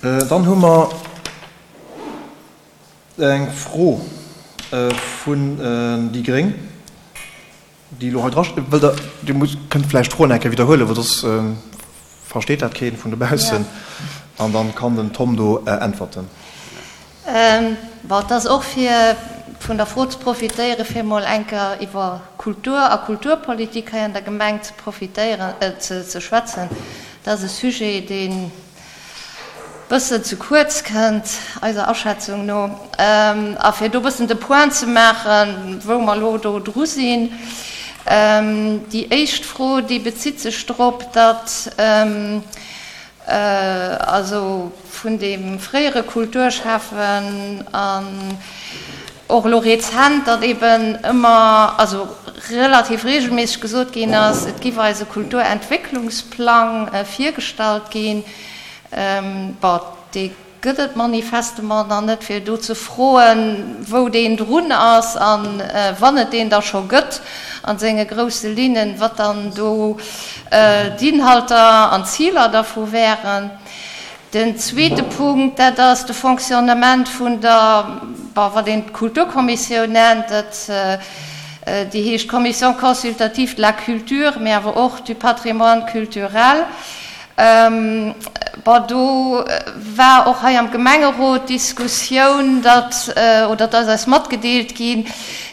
Dann hu mer eng Fro vun déi gréng, déi elo hei dra steet. Wëllt Der, Dir musst, kënnt vläicht d'Froen eng Kéier widderhuelen, well soss versteet dat keen vun dobaussen. An dann kann den Tom do äntwerten. Bon, et ass och fir vun der Fro ze profitéieren, fir emol eng Kéier iwwer Kultur a Kulturpolitik hei an der Gemeng ze profitéieren, ze schwätzen. Dat ass e Sujet, deen bëssen ze kuerz kënnt, eiser Aschätzung no. A fir do bëssen de Point ze maachen, wou mer elo do dru sinn. Déi éischt Fro, déi bezitt sech drop, datt also vun deem fréiere Kulturschäffen an och elo rezent, datt eeben ëmmer, also relativ regelméisseg gesot ginn ass, et giff eis e Kulturentwécklungsplang virgestallt ginn. Bon, dee gëtt et manifestement nach net, fir do ze froen, wou deen drun ass a wann et deen da scho gëtt a senge grousse Linnen, wat dann do d'Inhalter an d'Ziler dervu wären. Den zweete Punkt, dat ass de Fonctionnement vun der, bon, wat een d'Kulturkommissioun nennt, dat, déi heescht Commission consultative de la culture, mee awer och du patrimoine culturel. Bon, do war och hei am Gemengerot d'Diskussioun, datt, oder et ass eis matgedeelt ginn,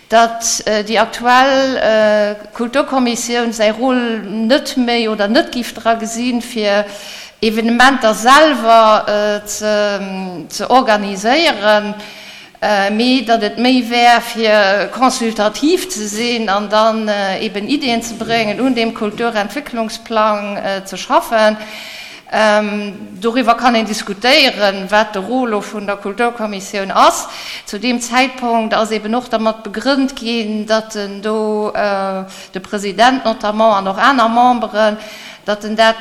datt déi aktuell Kulturkommissioun säi Rôle net méi oder net géif dra gesinn, fir Evenementer selwer ze organiséieren, mee datt et méi wär, fir consultativ ze sinn an dann eben Ideeën ze bréngen, un deem Kulturentwécklungsplang ze schaffen. Doriwwer kann een diskutéieren, wat de Rôle lo vun der Kulturkommissioun ass. Zu deem Zäitpunkt ass eben och dermat begrënnt ginn, datt en do de President notamment an och aner Memberen, datt en dat,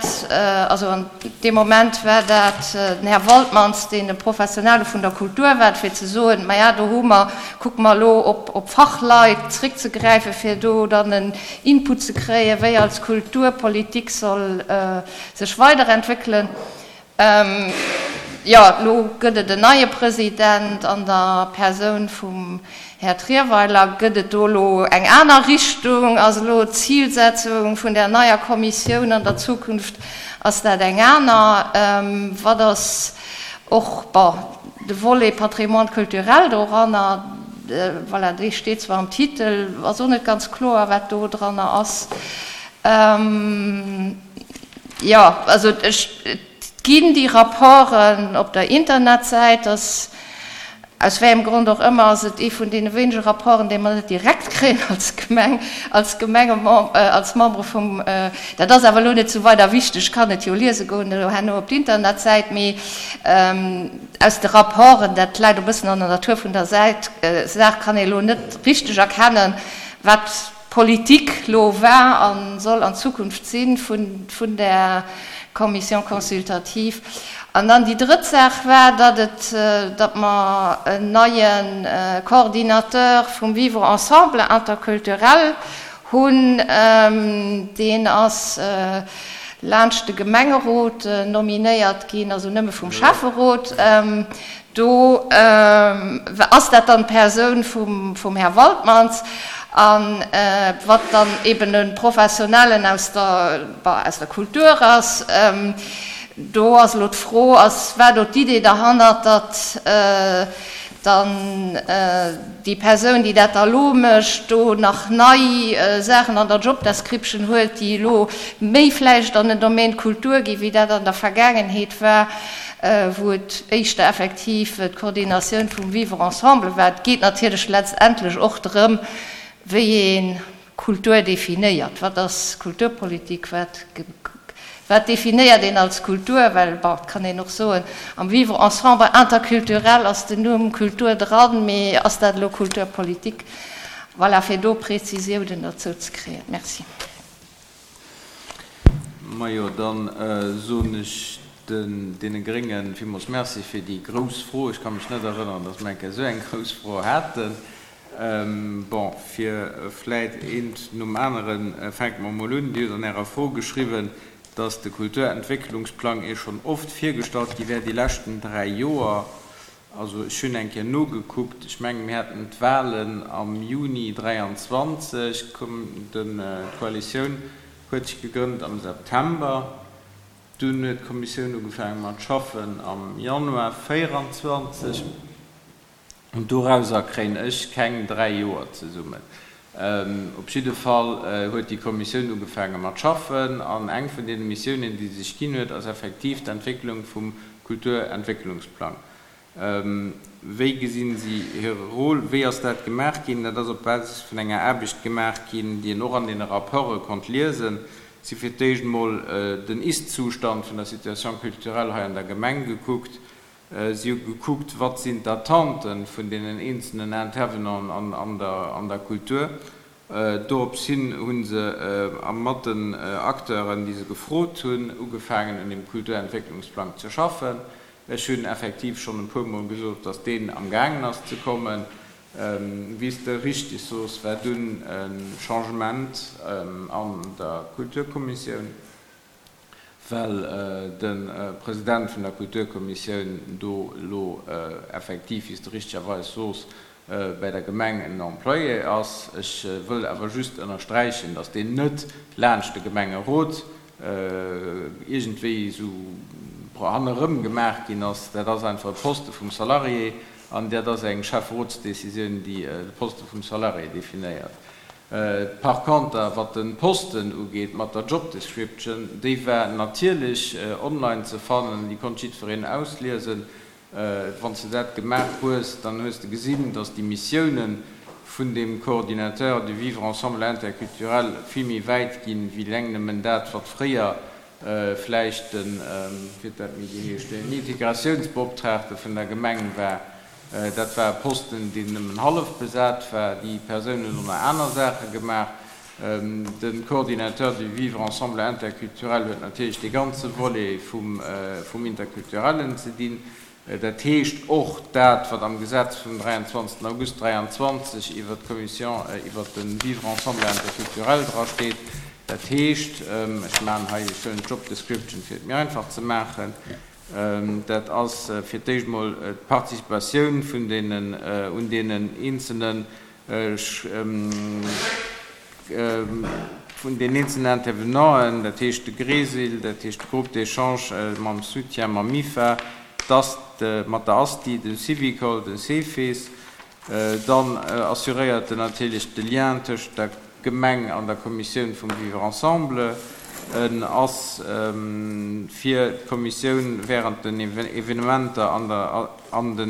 also an deem Moment war dat den Här Waltmans, deen e Professionelle vun der Kultur war, fir ze soen, maja do hu mer, kucke mer elo op op Fachleit zréckzegräifen, fir do dann en Input ze kréien, wéi als Kulturpolitik soll sech weiderentwéckelen. Jo, elo gëtt et en neie President an der Persoun vum Här Trierweiler. Gëtt et do elo eng aner Richtung? Ass elo d'Zilsetzung vun där neier Kommissioun an der Zukunft, ass dat eng aner? Wat ass och, bon, de Volet Patrimoine culturel doranner? Voilà, dee steet zwar am Titel, ass och net ganz kloer, wat do dranner ass. Jo, also ech, et ginn déi Rapporten op der Internetsäit, dass, aus wéi engem Grond och ëmmer, ass et ee vun deene wéinege Rapporten, déi mer net direkt kréien als Gemeng, als Gemengemem, als Membere vum, dat ass awer elo net esou weider wichteg, ech kann et jo liese goen elo herno op d'Internetsäit, mee aus de Rapporten, dat läit e bëssen an der Natur vun der Säit, Saach, kann ee elo net richteg erkennen, wat Politik lo war a soll an Zukunft si vun där Commission consultative. An dann déi drëtt Saach war, datt et, datt mer en neie Coordinateur vum Vivre ensemble interculturel hunn. Deen ass laanscht de Gemengerot nominéiert ginn, also nëmme vum Schäfferot. Do ass dat dann d'Persoun vum Här Waltmans, a wat dann eben e Professionellen aus der, bon, aus der Kultur ass. Do ass elo d'Fro, ass, war do d'Idee derhannert, datt dann déi Persoun, déi dat da elo mécht, do nach nei Saachen an der Job description huet, déi elo méi vläicht an den Domaine Kultur ginn, wéi dat an der Vergaangenheet war? wou et éischter effektiv d'Koordinatioun vum Vivre ensemble war. Et geet natierlech letztendlech och drëm, wéi ee Kultur definéiert. Wat ass Kulturpolitik? Wat, wat definéiert een als Kultur? Well, bon, et kann een och soen, am Vivre ensemble interculturel ass den Numm Kultur dran, mee ass dat elo Kulturpolitik? Voilà, fir do Prezisiounen derzou ze kréien. Merci. Majo, da soen ech deene Grénge villmools Merci fir déi grouss Fro. Ech ka mech net erënneren, datt mer eng Kéier esou eng grouss Fro haten. Bon, fir vläit eent nom aneren, fänke mer emol un. Dir hutt an Ärer Fro geschriwwen. Dass de Kulturentwécklungsplang Iech schonn oft virgestallt gi wär déi leschten 3 Joer. Also ech hunn eng Kéier nogekuckt, ech mengen mir haten d'Wahlen am Juni 23, d'Koalitioun huet sech gegrënnt am September, dunn huet d'Kommissioun ugefaange mat schaffen am Januar 24. An dorauser kréien ech keng 3 Joer zesummen. Op jidde Fall huet déi Kommissioun ugefaange mat schaffen. An eng vun deene Missiounen, déi se sech ginn huet, ass effektiv d'Entwécklung vum Kulturentwécklungsplang. Wéi gesinn si hire Rôle? Wéi ass dat gemaach ginn? Dat ass op Basis vun enger Aarbecht gemaach ginn, déi een och an deene Rapporte konnt liesen. Si hu fir d'éischt emol den Ist-Zustand vun der Situation culturelle hei an der Gemeng gekuckt. Si hu gekuckt, wat sinn d'Attenten vun deenen eenzelnen Intervenanten an der Kultur. Dorops hin hu se mat den Acteuren, déi se gefrot hunn, ugefaangen un deem Kulturentwécklungsplang ze schaffen. Ech hunn effektiv schonn e puermol gesot, datt deen amgaangen ass ze kommen. Wéi s de richteg soos, war dunn e Changement an der Kulturkommissioun. Well de President vun der Kulturkommissioun do elo effektiv, wéi s de richtegerweis soos, bäi der Gemeng en Employé ass. Ech wëll awer just ënnersträichen, datt deen net laanscht de Gemengerot iergendwéi esou hannerëm gemaach ginn ass. Dat ass einfach e Poste vum Salarié an dat ass eng Schäfferotsdecisioun, déi de Poste vum Salarié definéiert. Par conter, wat de Posten ugeet mat der Job Description, déi war natierlech online ze fannen, déi konnt jiddwereen ausliesen. Wann s de dat gemaach hues, dann hues de gesinn, dass déi Missiounen vun deem Coordinateur du vivre ensemble interculturel vill méi wäit ginn, wéi eleng nëmmen dat, wat fréier vläicht den, wéi huet dat méi geheescht, den Integratiounsbeoptraagte vun der Gemeng war. Dat war e Posten, deen nëmmen hallef besat war. Déi Persoun huet och nach aner Saache gemaach. De Coordinateur du vivre ensemble interculturel huet natierlech dee ganze Volet vum Interculturellen ze dinn. Dat heescht och dat, wat am Gesetz vum 23. August 23 iwwert d'Commission iwwert de Vivre ensemble interculturel drasteet. Dat heescht, ech maachen hei, ech huelen d'Job description, fir et méi einfach ze maachen, Dat ass fir d'éischt emol d'Participatioun vun deenen un deenen eenzelne vun den eenzelnen Intervenanten, dat heescht de GRESIL, dat heescht de Groupe d'échange mam Soutien, mam MIFA, d'AST, mat der ASTI, dem Syvicol, dem CEFIS. Dann assuréiert en natierlech de Lien tëscht der Gemeng an der Kommissioun vum Vivre ensemble. En ass fir d'Kommissioun während den Evenementer an de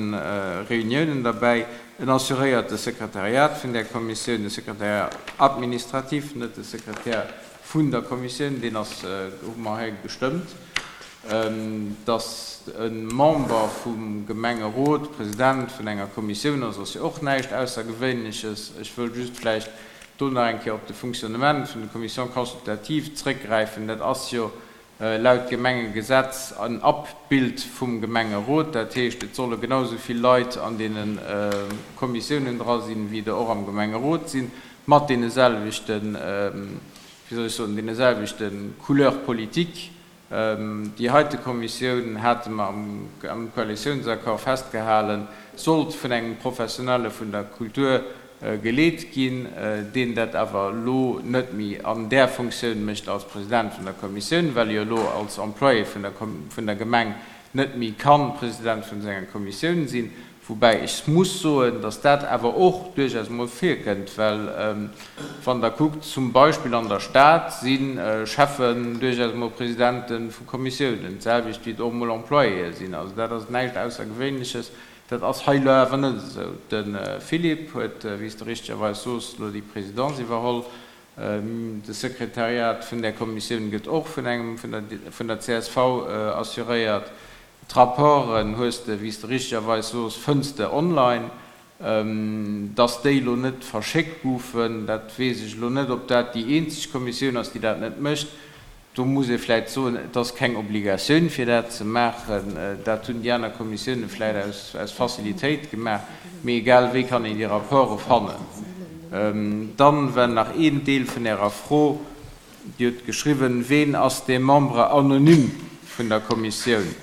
Reuniounen derbäi. En assuréiert de Sekretariat vun där Kommissioun, de Secrétariat administratif, net de Sekretär vun der Kommissioun, deen ass, hu mer hei gestëmmt, Datt e Member vum Gemengerot President vun enger Kommissioun ass, ass jo och näischt Aussergewéinleches. Ech wëll just vläicht do nach eng Kéier op de Fonctionnement vun de Commissions consultatives zrëckgräifen. Dat ass jo laut Gemengegesetz en Abbild vum Gemengerot. Dat heescht, et solle genau esou vill Leit an deene Kommissiounen dra sinn, wéi der och am Gemengerot sinn, mat deene selwechten, wéi soll ech soen, deene selwechte Couleurs politiques. Déi heite Kommissioun, hate mer am Koalitiounsaccord festgehalen, sollt vun engem Professionelle vun der Kultur geleet ginn, deen dat awer elo net méi an där Funktioun mécht als President vun der Kommissioun, well e jo elo als Employé vun der Gemeng net méi ka President vun senger Kommissioun sinn. Woubäi ech muss soen, dass dat awer och duerchaus emol virkënnt, well wann Der kuckt, zum Beispill an der Stad si Schäffen duerchaus emol Presidente vu Kommissiounen, d'selwecht wéi et och emol Employéë sinn. Also dat ass näischt Aussergewéinleches. Dat ass hei elo awer net esou. De Philippe huet, wéi s de richtegerweis soos, elo déi Présidence iwwerholl. De Sekretariat vun där Kommissioun gëtt och vun engem vun der csv assuréiert. D'Rapporten hues de, wéi s de richtegerweis soos, fënns de online. Dass déi elo net verschéckt goufen, dat weess ech elo net, ob dat déi eenzeg Kommissioun ass, déi dat net mécht. Do muss ee vläicht soen, et ass keng Obligatioun, fir dat ze maachen. Dat hunn déi aner Kommissiounen vläicht aus Facilitéit gemaach. Mee egal wéi kann een déi Rapporte fannen. Dann war nach een Deel vun Ärer Fro. Dir hutt geschriwwen, Ween ass dee Membre anonyme vun der Kommissioun?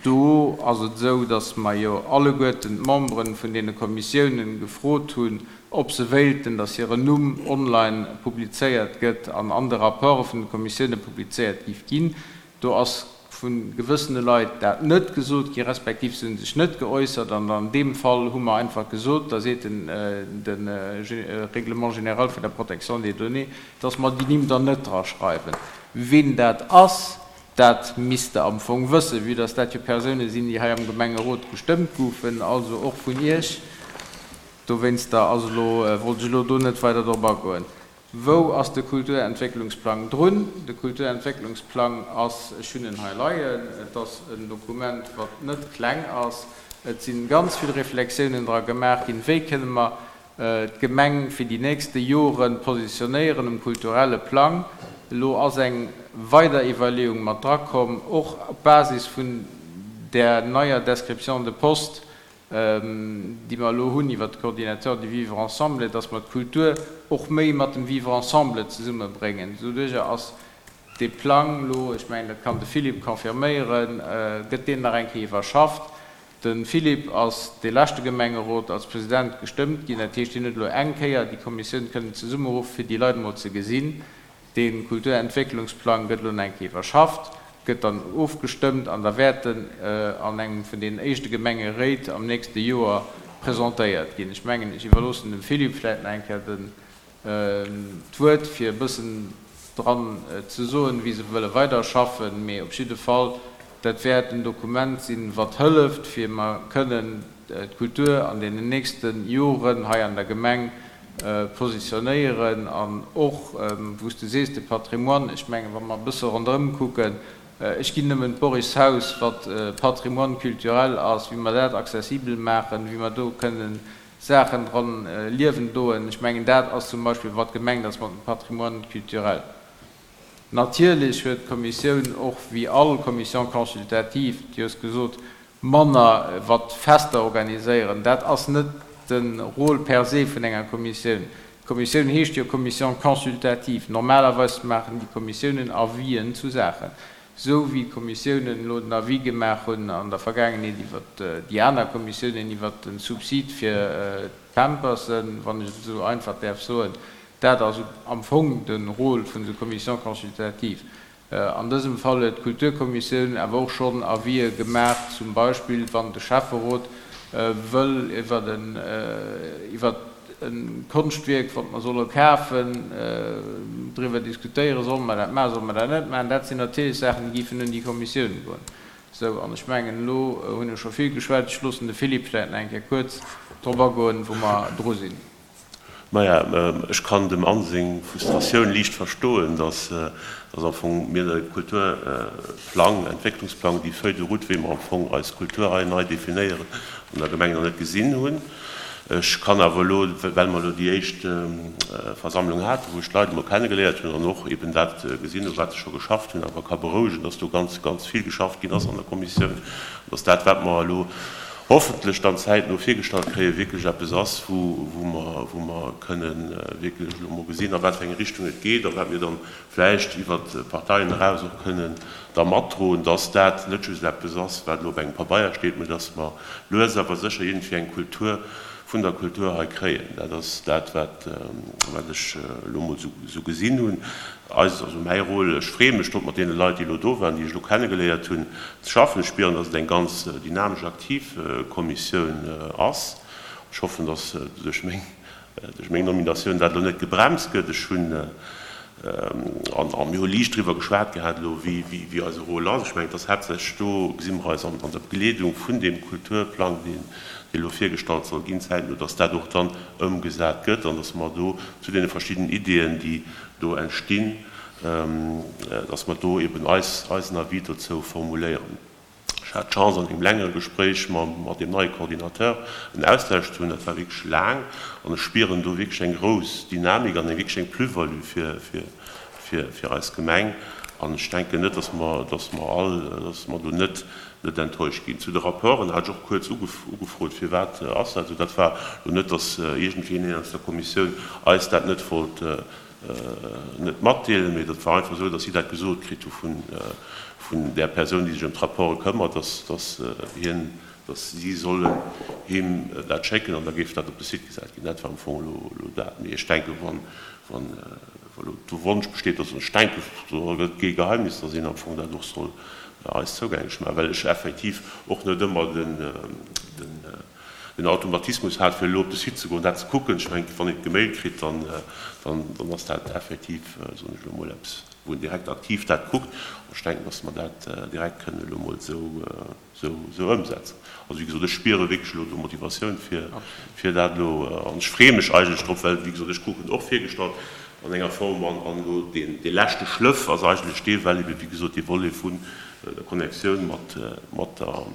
Do ass et esou, datt mer jo alleguerten d'Membere vun deene Kommissiounen gefrot hunn, ob se wéilten, datt hiren Numm online publizéiert gëtt an an de Rapporte vun de Kommissioune publizéiert giff ginn. Do ass vu gewëssene Leit dat net gesot gi respektiv se hu sech net geäussert. An an deem Fall hu mer einfach gesot, da seet de Règlement général vun der Protection des données, datt mer déi Nimm dann net draschreiwen. Ween dat ass, dat misst Der am Fong wëssen, vue dass dat jo Persoune sinn, déi hei am Gemengerot gestëmmt goufen, also och vun Iech. Dowéinster ass elo, wollt ech elo do net weider drop agoen. Wou ass de Kulturentwécklungsplang drun? De Kulturentwécklungsplang ass, ech hunn en hei leien, et ass en Dokument, wat net kleng ass. Et si ganz vill Reflexiounen dra gemaach ginn, wéi kënne mer d'Gemeng fir déi nächste Jore positionéieren um kulturelle Plang. Elo ass eng weider Iwwerleeung mat drakomm, och op Basis vun där neier Description de poste, déi mer elo hunn iwwert de Coordinateur du vivre ensemble, dass mer d'Kultur och méi mat dem Vivre ensemble zesummebréngen. Doduerjer ass dee Plang elo, ech mengen, dat kann de Philippe confirméieren, gëtt deen nach eng Kéier iwwerschafft. De Philippe ass dee leschte Gemengerot als President gestëmmt ginn. Dat heescht, hien huet elo eng Kéier déi Kommissioun kënnen zesummeruffe fir déi Leit emol ze gesinn. Dee Kulturentwécklungsplang gëtt elo nach eng Kéier iwwerschafft, gëtt dann ofgestëmmt an da wäert en an engem vun deenen éischte Gemengeréit am nächste Joer presentéiert ginn. Ech mengen, ech iwwerloossen dem Philippe vläicht nach eng Kéier den d'Wuert, fir e bëssen dran ze soen, wéi se wëlle weiderschaffen. Mee op jidde Fall, dat wäert en Dokument sinn, wat hëlleft, fir mer kënnen d'Kultur an deenen nächste Joren hei an der Gemeng positionéieren an och, wou s de sees, de Patrimoine, ech mengen, wa mer e bësse ronderëm kucken, ech ginn nëmmen d'Borishaus, wat Patrimoine culturel ass, wéi mer dat accessibel maachen, wéi mer do kënnen Saachen dran liewen doen, ech mengen, dat ass zum Beispill, wat gemengt ass mat dem Patrimoine culturel. Natierlech huet d'Kommissioun och, wéi all Commission consultative, du hues gesot, manner wat Fester organiséieren. Dat ass net de Rôle per se vun enger Kommissioun. D'Kommissioun heescht jo Commission consultative. Normalerweis maachen déi Kommissiounen Avisen zu Saachen. Esou wéi d'Kommissiounen elo den Avis gemaach hunn an der Vergaangenheet iwwer déi aner Kommissiounen iwwert de Subsid fir d'Pampersen, wann ech et esou einfach däerf soen. Dat ass am Fong de Rôle vun esou Commissions consultatives. An dësem Fall huet d'Kulturkommissioun awer och schonn Avisë gemaach, zum Beispill wann de Schäfferot wëll iwwer e Konschtwierk, wat mer solle kafen, driwwer diskutéieren, solle mer dat maachen, solle mer dat net maachen. Dat sinn natierlech Saachen, déi géifen un déi Kommissioun goen. Sou, an ech mengen, elo hunn ech scho vill geschwat. Ech loossen de Philippe vläicht nach eng Kéier kuerz drop agoen, wou mer dru sinn. Maja, ech kann dem Anne seng Frustratioun liicht verstoen, dass am Fong mir de Kulturplang, Entwécklungsplang, déi Feuille de route, wéi mer am Fong eis Kultur hei nei definéieren, an der Gemeng nach net gesinn hunn. Ech kann awer elo, well mer elo déi éischt Versammlung haten, wou ech d'Leit emol kennegeléiert hunn an och eben dat gesinn hunn, wat se scho geschafft hunn, awer ka berouegen, dass do ganz, ganz vill geschafft ginn ass an der Kommissioun, dass dat, wat mer elo hoffentlech dann zäitno virgestallt kréien, wierklech eppes ass, wou mer, wou mer kënnen wierklech elo mol gesinn, a wat fir eng Richtung et geet a wat mir dann vläicht iwwert d'Parteien eraus och kënnen da matdroen, dass dat net just eppes ass, wat elo op engem Pabeier steet, mä dass mer lues awer sécher iergendwéi eng Kultur vun der Kultur hei kréien. Dat ass dat, wat, wat ech elo mol esou gesinn hunn. Eis, also mäi Rôle, ech freeë mech drop, mat deene Leit, déi elo do waren, déi ech elo kennegeléiert hunn, ze schaffen. Ech spieren, datt et eng ganz dynamesch, aktiv Kommissioun ass. Ech hoffen, datt duerch meng, duerch meng Nominatioun dat elo net gebremst gëtt. Ech hunn, an a mir hu liicht driwwer geschwat gehat elo, wéi, wéi, wéi eise Rôle ass. Ech mengen, et ass haaptsächlech do, gesi mer eis an, an der Begleedung vun deem Kulturplang, deen, dee elo virgestallt soll ginn, zäitno, datt dat och dann ëmgesat gëtt an datt mer do zu deene verschiddenen Ideeën, déi do entstinn, dass mer do eben eis, eisen Avis dozou formuléieren. Ech hat d'Chance, an engem längere Gespréich mam, mat deem neie Coordinateur en Austausch ze hunn. Dat war wierklech laang an ech spieren do wierklech eng grouss Dynamik an eng wierklech eng Plus-value fir, fir, fir, fir eis Gemeng. An ech denken net, dass mer, dass mer all, dass mer do net, net enttäuscht ginn. Zu de Rapporten hat ech och kuerz ugefrot, firwat ass dat esou. Dat war elo net, dass iergendween aus der Kommissioun eis dat net wollt. net matdeelen, mee dat war einfach esou, dass si dat gesot kritt hu vun där Persoun, déi sech ëm d'Rapporte këmmert, dass, dass hien, dass si sollen him dat schécken an da géif dat op de Site gesat ginn. Dat war am Fong elo elo dat. Mee ech denken, wann, wann elo de Wonsch besteet, also ech denken, do gëtt et kee Geheimnis, dass een am Fong dat och soll eis zougänglech maachen, well ech effektiv och net ëmmer den, den, den Automatismus hat, fir elo op de Site ze goen, dat ze kucken. Ech mengen, wann een et gemailt kritt, dann, dann, dann ass dat effektiv, soen ech elo emol, eppes, wou een direkt aktiv dat kuckt. An ech denken, dass mer dat direkt kënnen elo emol esou, esou, esou ëmsetzen. Also, wéi gesot, ech spiere wierklech elo do Motivatioun, fir, fir dat elo, an ech freeë mech eigentlech drop, well, wéi gesot, ech krut en och virgestallt an enger Form, an, an elo deen, dee leschte Schlëff ass eigentlech dee, well ebe, wéi gesot, dee Volet vun der Connectioun mat, mat der,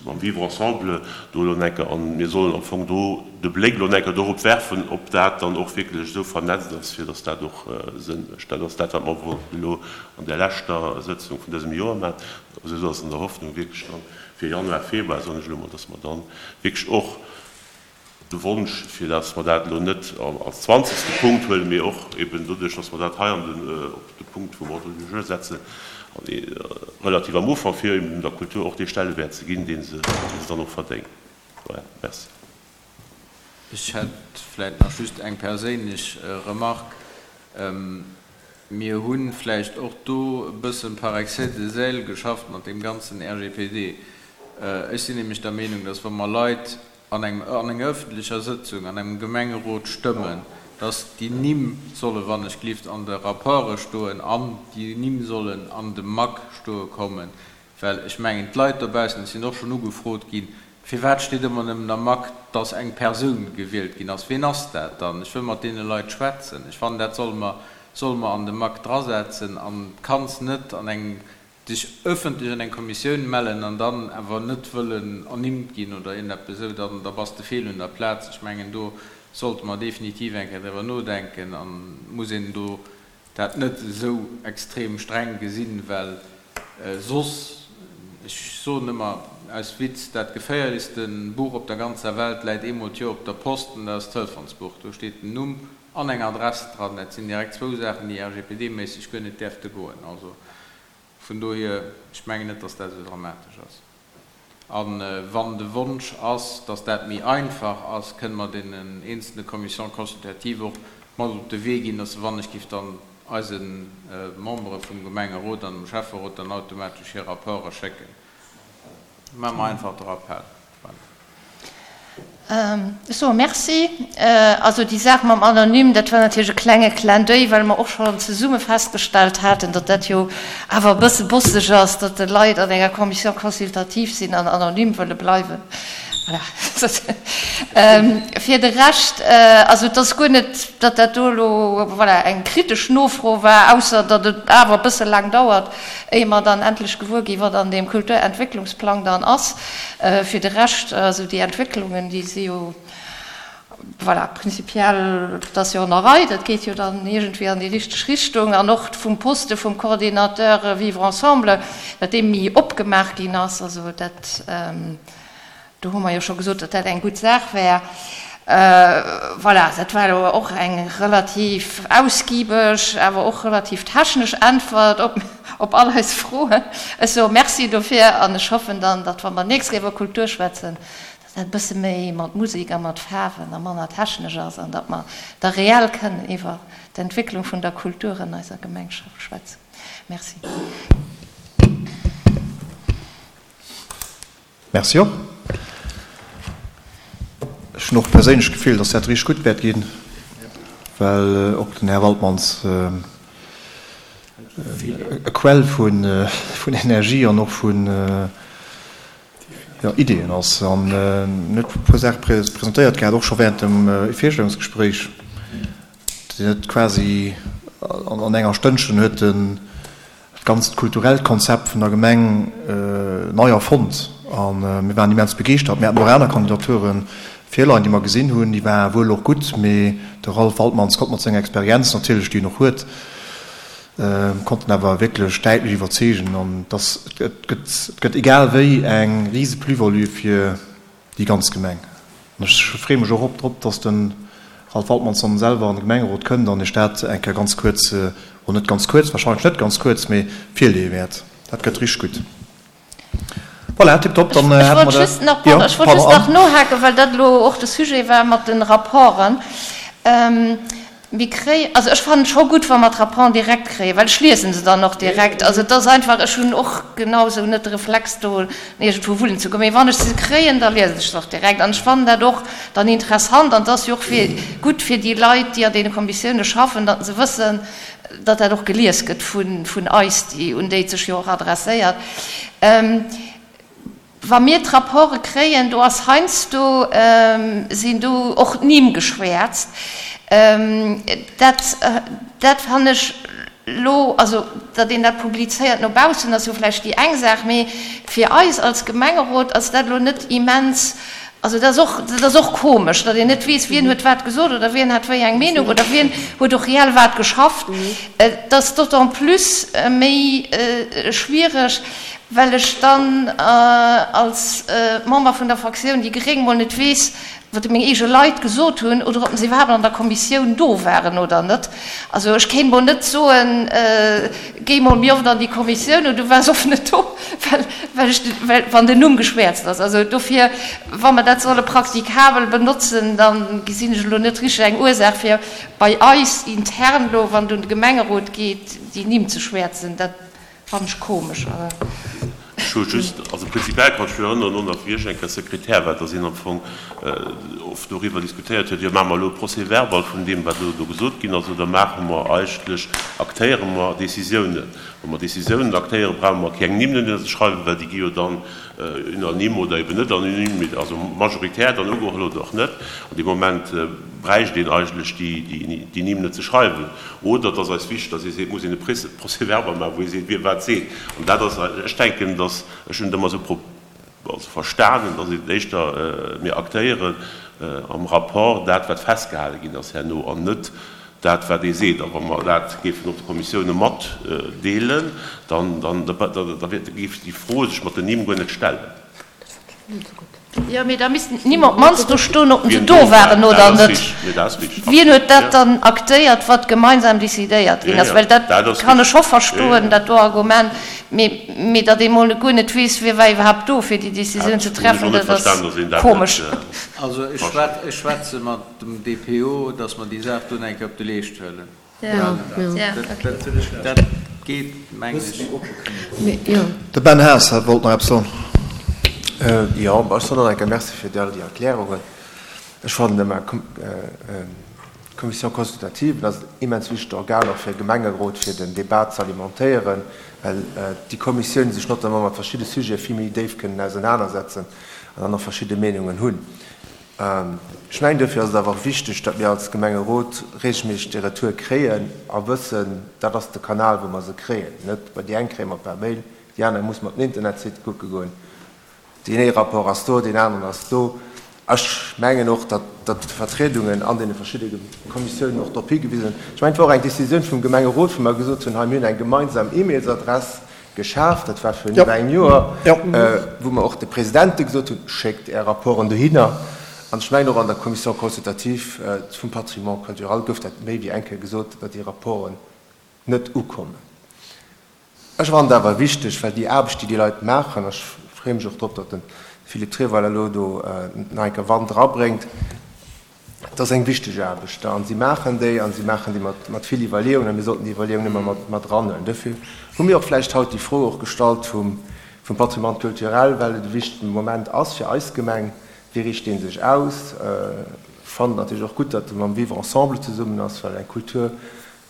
mam Vivre ensemble do elo enker, an mir sollen am Fong do de Bléck elo enker dorop werfen, ob dat dann och wierklech esou vernetzt ass, fir dass dat och Sënn mécht. Dat ass dat, wat mer wollten elo an där leschter Sëtzung vun dësem Joer maachen, esou dass an der Hoffnung wierklech dann fir Januar, Februar, soen ech elo mol, dass mer dann wierklech och de Wonsch, fir dass mer dat elo net als zwanzegste Punkt huelen, mee och eben doduerch, dass mer dat hei an den, op de Punkt vum Ordre du jour setzen, relativ am Ufank, fir eben der Kultur och dee Stellewäert ze ginn, dee se, dee se dann och verdéngt. Voilà, merci. Ech hätt vläicht nach just eng perséinlech Remarque. Mir hu vläicht och do e bëssen par excès de zèle geschafft mat deem ganzen RGPD. Ech sinn nämlech der Meenung, dass wa mer Leit an engem an enger öffentlecher Sëtzung an engem Gemengerot stëmmen, dass déi Nimm solle wann ech glift an de Rapporte stoen an déi Nimm sollen an de MAC stoe kommen, well ech mengen d'Leit dobaussen, ech sinn och schonn ugefrot ginn, firwat steet ëmmer nëmmen am MAC, dass eng Persoun gewielt ginn ass, ween ass dat dann, ech wëll mat deene Leit schwätzen. Ech fannen dat solle mer solle mer an de MAC drasetzen an kanns net an engem dech ëffentlech an eng Kommissioun mellen an dann awer net wëllen ernimmt ginn oder iergendeppes esou, dann da bass de fehl un der Plaz. Ech mengen, do sollte mer definitiv eng Kéier driwwer nodenken an muss een do dat net esou extrem streng gesinn, well soss, ech soen ëmmer aus Witz, dat geféierlechste Buch op der ganzer Welt läit eemol d'Joer op der Post an dat ass d'Telefonsbuch. Do steet den Numm an eng Adress dran. Dat sinn direkt zwou Saachen, déi RGPD-méisseg guer net däerfte goen. Also vun dohier, ech mengen net, dass dat esou dramatesch ass. A wann de Wonsch ass, dass dat méi einfach ass, kënne mer deenen eenzelne Commissions consultatives och mat op de Wee ginn, dass se wann ech giff dann eise Membere vum Gemengerot an dem Schäfferot dann automatesch hir Rapporte schécken. Maache mer einfach de Rappel. Voilà. Ech soe Merci. Also déi Saach mam Anonym, dat war natierlech e klenge Clin d'oeil, well mer och schonn zesumme festgestallt haten, datt dat jo awer e bësse bosseg ass, datt de Leit an enger Commission consultative sinn an anonym wëlle bleiwen. Voilà. Fir de Rescht, also et ass guer net, datt dat do elo, voilà, eng kritesch Nofro war, ausser datt et awer e bësse laang dauert, éier mer dann endlech gewuer ginn, wat an deem Kulturentwécklungsplang dann ass. Fir de Rescht, also déi Entwécklungen, déi si jo, voilà, prinzipiell, dat ass jo an der Rei, dat geet jo dann iergendwéi an déi richteg Richtung. An och vum Poste vum Coordinateur Vivre ensemble, datt dee méi opgemaach ginn ass, also dat, Do hu mer jo scho gesot, datt dat eng gutt Saach wär. Voilà, dat war elo och eng relativ ausgiebeg, awer och relativ technesch Äntwert op, op all eis Froen. Ech soe Merci dofir an ech hoffen dann, datt, wa mer d'nächst Kéier iwwer Kultur schwätzen, datt dat e bësse méi mat Musek a mat Faarwen a manner technesch ass an datt mer da reell kënnen iwwer d'Entwécklung vun der Kultur an eiser Gemengschaft schwätzen. Merci. Merci och. Ech hunn och perséinlech d'Gefill, dass dat richteg gutt wäert ginn, well och den Här Waltmanns e Quell vun Energie an och vun Ideeën ass an en huet e puer Saache presentéiert gehat, och scho während dem Virstellungsgespréich. Deen huet quasi an enger Stënnchen huet en dat ganzt kulturellt Konzept vun der Gemeng nei erfonnt a mir waren immens begeeschtert. Mir haten och aner Kandidature virleien, déi mer gesinn hunn, déi ware wuel och gutt, mee de Ralph Waltmanns konnt mat senger Experienz natierlech, déi en och huet, konnt en awer wierklech däitlech iwwerzeegen an dass et gëtt, et gëtt egal wéi eng rise Plus-value fir déi ganz Gemeng. An ech freeë mech och op drop, dass de. Ralph Waltmannsson selwer an de Gemengerot kënnt an Iech dat eng Kéier ganz kuerz, oder net ganz kuerz, wahrscheinlech net ganz kuerz, mee virleeë wäert. Dat gëtt richteg gutt. Voilà, tiptop, dann hätte mer dat. Jo, ech wollt just nach nohaken, well dat elo och de Sujet war mat de Rapporten. Mir kréien, also ech fannen et scho gutt, wa mer d'Rapporten direkt kréien, well ech liese se dann och direkt. Also et ass einfach, ech hunn och genau esou net de Reflex do iergendwou wullen ze goen, mee wann ech se kréien, da liesen ech se och direkt. An ech fannen dat och dann interessant an et ass jo och fir gutt fir déi Leit, déi an deene Kommissioune schaffen, datt se wëssen, datt dat och gelies gëtt vun eis, déi, un déi et sech jo och adresséiert. Wa mir d'Rapporte kréien, do ass heiansdo, sinn do och d'Nimm geschwäerzt. Dat, dat fannen ech elo, also datt een dat publizéiert no baussen, ass jo vläicht déi eng Saach, mee fir eis als Gemengerot ass dat elo net immens, also dat ass och, dat ass och komesch, datt een net weess, wien huet wat gesot oder wien hat wéi eng Meenung oder wien huet och reell wat geschafft. Et ass d'autant plus méi schwiereg, well ech dann als Member vun der Fraktioun déi gréng mol net weess, wat meng eege Leit gesot hunn oder ob se iwwerhaapt an der Kommissioun do waren oder net. Also ech kéint mol net soen, géi mol méi oft an déi Kommissioun oder du waars oft net do, well, well ech, well wann den Numm geschwäerzt ass. Also dofir, wa mer dat solle praktikabel benotzen, da gesinn ech elo net richteg eng Ursaach fir bei eis intern elo, wann et un de Gemengerot geet, déi Nimm ze schwäerzen. Dat Fannen ech komesch. Ech hu just, also prinzipiell kann ech mech erënneren, och nach wéi ech eng Kéier Sekretär war, dass een am Fong oft doriwwer diskutéiert huet, jo maache mer elo e Procès-verbal vun deem, wat elo do gesot ginn ass, oder maache mer eigentlech, aktéiere mer Décisiounen. Wa mer Décisiounen aktéieren, brauche mer keng Nimm dohinner ze schreiwen, well déi gi jo dann unanime oder eben net unanime, also majoritär dann ugeholl oder och net. An deem Moment bräicht een eigentlech déi Nimm net ze schreiwen. Oder et ass eis wichteg, datt ee seet, et muss een e Procès-verbal maachen, wou ee seet, wie wat seet. An dat ass, ech denken, datt, ech hunn et ëmmer esou also verstanen, datt et éischter, mir aktéieren am Rapport dat, wat festgehale ginn ass herno, an net dat, wat ee seet. A wa mer dat géifen och de Kommissioune matdeelen, dann, dann, da géif déi Fro sech mat den Nimm guer net stellen. Jo, mee da missten d'Nimm op d'mannst do stoen, ob se do waren oder net. Wien huet dat dann aktéiert, wat gemeinsam decidéiert ginn ass? Well dat kann ech scho verstoen, dat do Argument, mee datt ee mol guer net weess, wie war iwwerhaapt do, fir déi Decisioun ze treffen, dat ass komesch. Also ech schwätze mat dem DPO, datt mer déi Saach do nach eng Kéier op de Leescht huelen. Dat geet, mengen ech. De Ben Haas wollt nach eppes soen. Jo, ech soen och eng Kéier Merci fir all déi Erklärungen. Ech fannen ëmmer, d'Commission consultative, dat ass en immens wichtegt Organ och fir e Gemengerot, fir den Débat ze alimentéieren, well déi Kommissioun sech notamment mat verschidde Sujete vill méi déif kënnen ausenanersetzen an dann och verschidde Meenungen hunn. Ech mengen, duerfir ass et awer och wichteg, datt mir als Gemengerot regelméisseg déi Retoure kréien a wëssen, dat ass de Kanal, wou mer se kréien. Net bei déi eng kréie mer per Mail, déi aner muss mer op den Internetsite kucke goen. Deen ee Rapport ass do, deen aneren ass do. Ech mengen och, datt d'Vertriedungen an deene verschidde Kommissiounen och drop higewisen hunn. Ech mengen, et war och eng Décisioun vum Gemengerot, wou mer gesot hunn, hei, mir hunn eng gemeinsam E-Mailsadress, Geschaf, dat war virun iwwer engem Joer, wou mer och de Presidente gesot hunn, Schéckt Är Rapporten dohinner. An ech mengen, och an der Commission consultative vum Patrimoine culturel gouf dat méi wéi eng Kéier gesot, datt déi Rapporten net ukommen. Ech fannen et awer wichteg, well déi Aarbecht, déi déi Leit maachen, ech freeë mech och drop, datt de Philippe Treweiler elo do nach eng Kéier Wand erabréngt, Et ass eng wichteg Aarbecht a si maachen déi a si maachen déi mat vill Iwwerleeungen a mir sollten déi Iwwerleeungen ëmmer mat eranhuelen. Dofir hu mir och vläicht haut déi Fro och gestallt vum Patrimoine culturel, well et e wichtege Moment ass fir eis Gemeng. Wéi riicht dee sech aus? Ech fannen et natierlech och gutt, datt e mam Vivre ensemble zesummen ass, well eng Kultur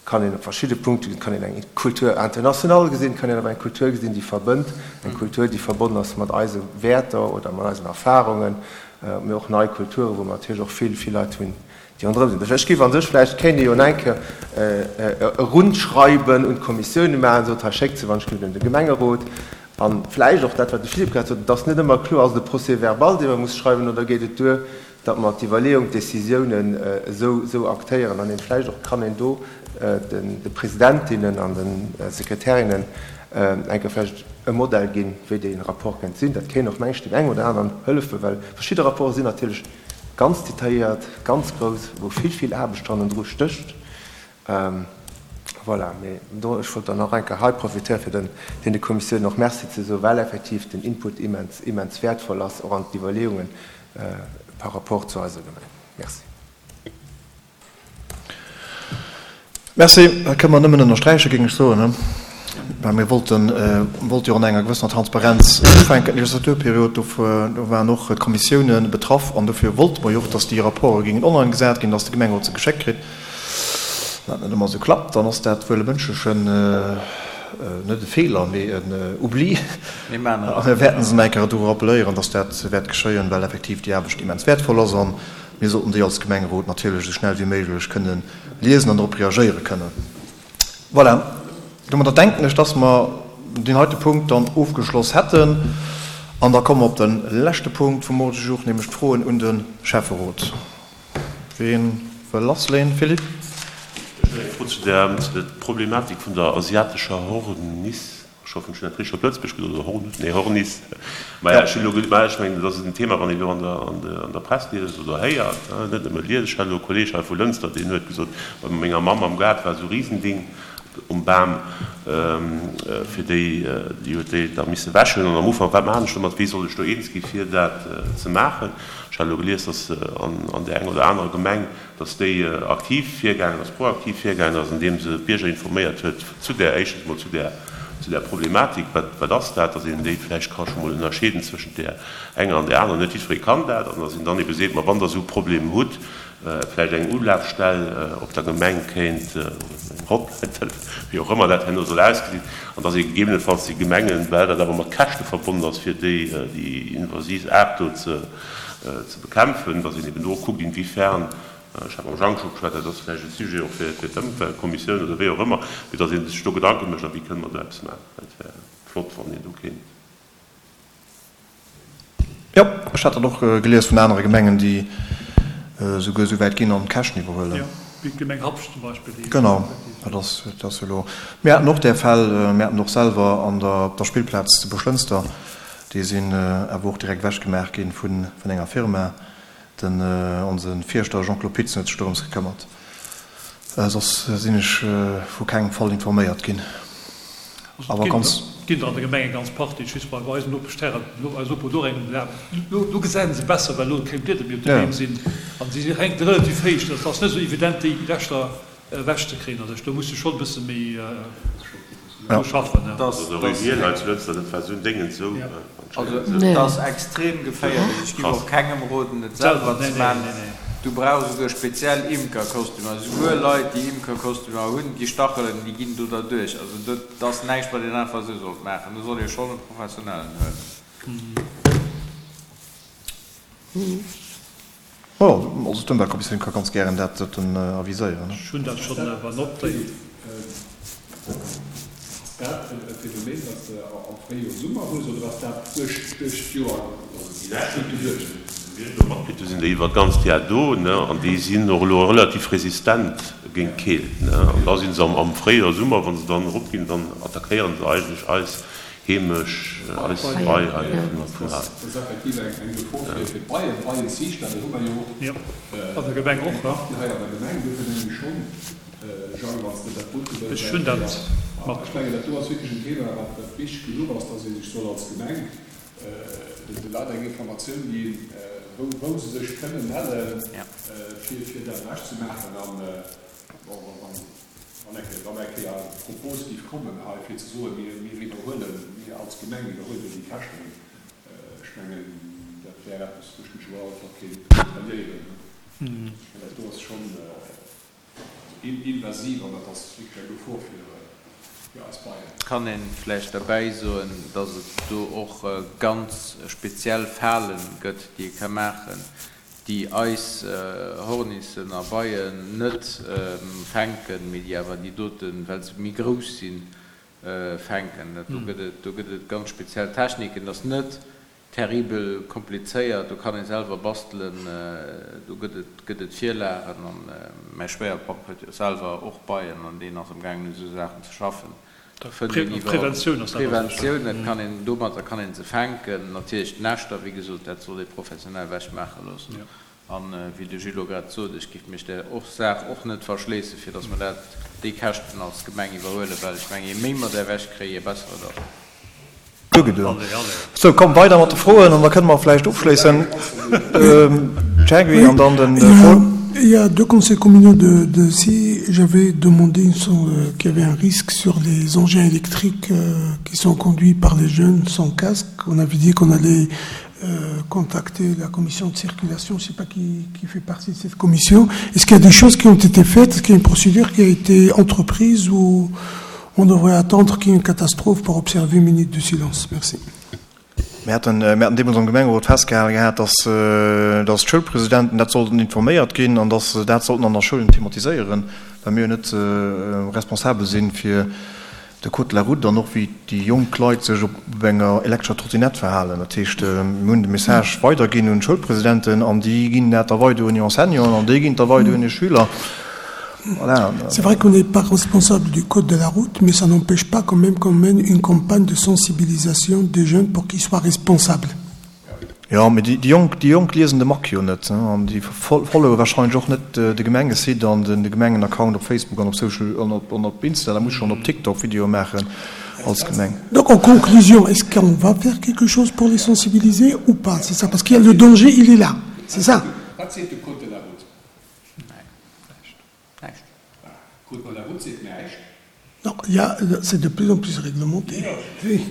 kann een op verschidde Punkte gesinn, et kann een eng Kultur internationale gesinn, et kann een awer eng Kultur gesinn, déi verbënnt, eng Kultur, déi verbonnen ass mat eise Wäerter oder mat eisen Erfahrungen, mee och nei Kulturen, wou mer natierlech och vill, vill Leit hunn, déi ronderëm sinn. Ech géif a sech vläicht, kéint ee jo nach eng Kéier e Rundschreiben un d'Kommissioune maachen, sot, hei schéckt se wann ech gelift un de Gemengerot. A vläicht och dat, wat de Philippe grad sot, et ass net ëmmer kloer, ass et e Procès-verbal, dee mer muss schreiwen, oder geet et duer, datt mer d'Iwwerleeung, d'Décisiounen esou aktéieren an een vläicht och kann een do de Presidentinnen an de Sekretärinnen eng Kéier vläicht e Modell ginn, wéi dee Rapport kéint sinn. Dat kéint och, meng ech, deem engem oder aneren hëllefen, well verschidde Rapporte sinn natierlech. ganz detailléiert, ganz grouss, wou vill, vill Aarbecht hannendru stécht. Voilà, mee do, ech wollt dann och eng Kéier hei profitéieren, fir den deene Kommissiounen och Merci ze soen, well effektiv den Input immens, immens wäertvoll ass, och an d'Iwwerleeungen par rapport zu eiser Gemeng. Merci. Merci, dat kënne mer nëmmen ënnersträichen, géing ech soen, well mir wollten, wollte jo an enger gewëssener Transparenz ufänken, d'Legislaturperiod, do waren och d'Kommissiounen betraff an dofir wollte mer jo och, dass déi Rapporte géingen online gesat ginn, dass de Gemengerot se geschéckt kritt. Wann dat net ëmmer esou klappt, dann ass dat wuel e mënschlechen, net e Feeler, mee en Oubli. A mir wäerten se nach eng Kéier dru rappeléieren, dass dat wäert geschéien, well effektiv déi Aarbecht immens wäertvoll ass a mir sollten déi als Gemengerot natierlech esou schnell wéi méiglech kënnen liesen an drop reagéiere kënnen. Voilà, domadder denken ech, dass mer deen heite Punkt dann ofgeschloss hätten. An da komme mer op de leschte Punkt vum Ordre du jour, nämlech d'Froen un de Schäfferot. Ween wëll lassleeën? Philippe? Ech hunn eng Fro zu der Problematik vun der asiatescher Horniss. Ech hoffen, ech hunn dat richteg op Lëtzebuergesch gesot, oder Hornuss, nee, Horniss. Maja, ech hunn elo, maja, ech mengen, dat ass en Thema, wann een elo an der, an der, an der Press liest oder héiert, net nëmme liest. Ech hat elo e Kolleeg hei vu Lënster, deen huet gesot, bei menger Mamm am Gaart war esou e Risending um Bam, fir déi, déi huet déi da misse wäschen. An am Ufank, wat maachen ech domat, wéi soll ech do eens gi fir dat ze maachen? Ech hat elo gelies, dass an, an där enger oder anerer Gemeng, dass déi aktiv virgaangen ass, proaktiv virgaangen ass, andeem se d'Bierger informéiert huet zu där, éischtens emol zu där, zu där Problematik, wat, wat ass dat, dass een déi vläicht ka scho mol ënnerscheeden zwëschent där enger an där anerer, net jiddweree kann dat, an dass een dann ebe seet, ma wann Der esou e Problem hutt, vläicht eng Ulafstell op der Gemeng kéint, oder eng Hotline, wéi och ëmmer dat herno soll ausgesinn, an dass ee gegebenenfalls déi Gemengen, well dat awer mat Käschte verbonnen ass, fir déi, déi invasiv Aart do ze, ze bekämpfen, dass een eben do och kuckt, inwiefern, ech hat mam Jang scho geschwat, dat ass vläicht e Sujet och fir d'Ëmweltkommissioun oder wéi och ëmmer, mee dass ee sech do Gedanke mécht, a wéi kënne mer do eppes maachen. Dat wär flott, wann een do kéint. Jo, ech hat dat och gelies vun anere Gemengen, déi esouguer esou wäit ginn an d'Käschten iwwerhuelen. Jo, wéi d'Gemeng Habscht zum Beispill, déi. Genau, dat ass, dat ass jo elo. Mir haten och där Fäll, mir haten och selwer an der, op der Spillplaz zu Buerglënster, Déi sinn awer och direkt ewech gemaach ginn vun enger Firma. Den onse Fierschter Jean-Claude Pitzen huet sech dorëms gekëmmert. Soss sinn ech vu kengem Fall informéiert ginn. Awer ganz. Et ginn der an der Gemeng eng ganz Partie. Ech weess bei eisen Nopeschterren, eis Noper huet och eng, lo gesäit se besser, well lo keng Blieder méi op de Beem sinn an si hänke relativ héich. Dat ass net esou evident déi Reschter ewech ze kréien. Also do muss de schonn e bësse méi dru schaffen. Also et ass extrem geféierlech. Ech giff och kengem roden et selwer ze man. Du brauchs esouguer speziell Imkerkostümer. Esouguer Leit déi Imkerkostümer hunn, déi Stachelen déi ginn do derduerch. Also dat ass näischt wat een einfach esou sollt maachen. Do soll ee schonn e Professionellen huelen. Jo, also d'Ëmweltkommissioun ka ganz gären dat doten aviséieren. Ech hunn dat schonn awer notéiert. Ass dat e Phänomen, wat s de am Fréijoer, Summer hues, oder ass dat duerch d'Joer gutt geduecht? Wéi ech elo matkritt hu sinn déi iwwer d'ganzt Jar do, ne, an déi sinn och elo relativ resistent géint d'Keelt, ne, an da si se am Fréijoer, Summer, wa se dann eropginn, dann attackéieren se eigentlech eis Heemesch, eis Bei hei vun hei. Dat ass effektiv eng Gefor fir d'Beien, d'Beienziichter, do hu mer jo och An der Gemeng och, eng Partie hei an der Gemeng. Dofir mengen ech schonn, Jang, wann s de dat dote wëlls Ech hunn eng dat Kéier, mat. ech mengen, dat do ass wierklech en Thema, wat wichteg genuch ass, dass ee sech soll als Gemeng de Leit eng Informatioun ginn, wou se sech kënnen mellen, fir dat ewechzemaachen. An, bon, wann. Wann eng Kéier, wann eng Kéier d'Propos géif kommen hei, fir ze soen, mir, mir iwwerhuelen, mir als Gemeng iwwerhuelen déi Käschten, ech mengen, dat wär eppes, wou ech mech elo alt mat kéint alliéieren. Well dat do ass schonn invasiv an dat ass wierklech eng Gefor fir, fir eis Beien. Kann een vläicht derbäi soen, dass et do och ganz speziell Falen gëtt, déi ee ka maachen, déi eis Hornissen a Beien net fänken, mee déi awer déi doten, well se méi grouss sinn, fänken. Dat do gëtt et, do gëtt et ganz speziell Techniken. Dat ass net terribel komplizéiert, do kann ee selwer bastelen, do gëtt et, gëtt et Virlagen. An mäi Schwéierpapp huet jo selwer och Beien an deen ass amgaangen u sou Saachen ze schaffen. Preventioun ass dat Preventioun, dat kann een, domatter kann een se fänken. Natierlech d'Näschter, wéi gesot, dat soll ee professionell wechmaache loossen. An, wéi de Gilles elo grad sot, ech géif mech där och Saach och net verschléissen, fir dass mer dat, déi Käschten als Gemeng iwwerhuelen, well ech mengen, je méi mer där ewechkréien, je besser et ass. Ugedoen. Sou, komm, weider mat de Froen an da kënne mer vläicht ofschléissen. Jacques an dann den Paul. Il y a deux conseils communaux de, de si j'avais demandé une, euh, qu'il y avait un risque sur les engins électriques euh, qui sont conduits par les jeunes sans casque. On avait dit qu'on allait euh, contacter la commission de circulation, je ne sais pas qui, qui fait partie de cette commission. Est-ce qu'il y a des choses qui ont été faites Est-ce qu'il y a une procédure qui a été entreprise ou on devrait attendre qu'il y ait une catastrophe pour observer une minute de silence Merci. Mir haten, mir haten deemools am Gemengerot festgehale gehat, dass, dass d'Schoulpresidenten dat sollten informéiert ginn an dass se dat sollten an der Schoulen thematiséieren, well mir jo net responsabel si fir de Code de la route an och wéi déi jonk Leit sech op enger elektrescher Trottinette verhalen. Dat heescht, mir hunn de Message weiderginn un d'Schoulpresidenten an déi ginn dat da weider un hir Enseignanten an déi ginn et da weider un hir Schüler. Voilà. C'est vrai qu'on n'est pas responsable du code de la route, mais ça n'empêche pas quand même qu'on mène une campagne de sensibilisation des jeunes pour qu'ils soient responsables. Jo, mee déi Jonk, déi Jonk liesen de Mac jo net, an déi followe wahrscheinlech och net de Gemengesite an de Gemengenaccount op Facebook an op Social an op an op Insta. Da muss schonn op TikTok Videoe maachen als Gemeng. Donc en conclusion, est-ce qu'on va faire quelque chose pour les sensibiliser ou pas? C'est ça, parce qu'il y a le danger, il est là, c'est ça. Wat seet de Code de la route? Näischt. Näischt. Code de la route seet näischt. Non, il y a, c'est de plus en plus réglementé. Oui.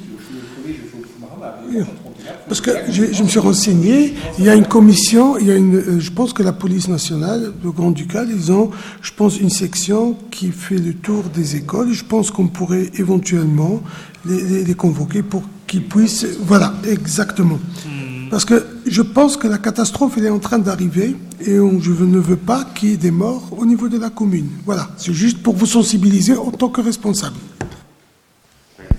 Parce que je, je me suis renseigné, il y a une commission, il y a une, euh, je pense que la police nationale, le Grand-Ducal, ils ont, je pense, une section qui fait le tour des écoles. Je pense qu'on pourrait éventuellement les, les, les convoquer pour qu'ils puissent... Voilà, exactement. Mmh. Parce que je pense que la catastrophe, elle est en train d'arriver et on, je ne veux pas qu'il y ait des morts au niveau de la commune. Voilà, c'est juste pour vous sensibiliser en tant que responsable.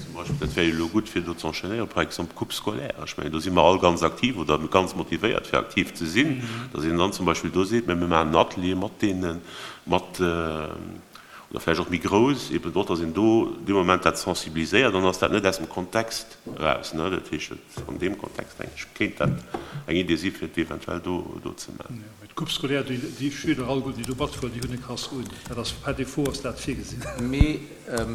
Zum Beispill, dat wär jo elo gutt fir do ze enchaînéieren, par exemple d'Coupe scolaire. Ech mengen, do si mer all ganz aktiv oder ganz motivéiert fir aktiv ze sinn, datt een dann zum Beispill do seet, mä mir maachen en Atelier mat deenen, mat, oder vläicht och méi grouss, eben och, datt een do dee Moment dat sensibiliséiert, dann ass dat net aus dem Kontext eraus. Dat heescht, an deem Kontext, denken ech, kéint dat eng Idee si fir et eventuell do do ze maachen. Jo, mee d'Coupe scolaire, déi déi Schüler alleguerten, déi do matfueren, déi hunn e Casque un. Dat ass par défaut ass dat virgesinn. Mee.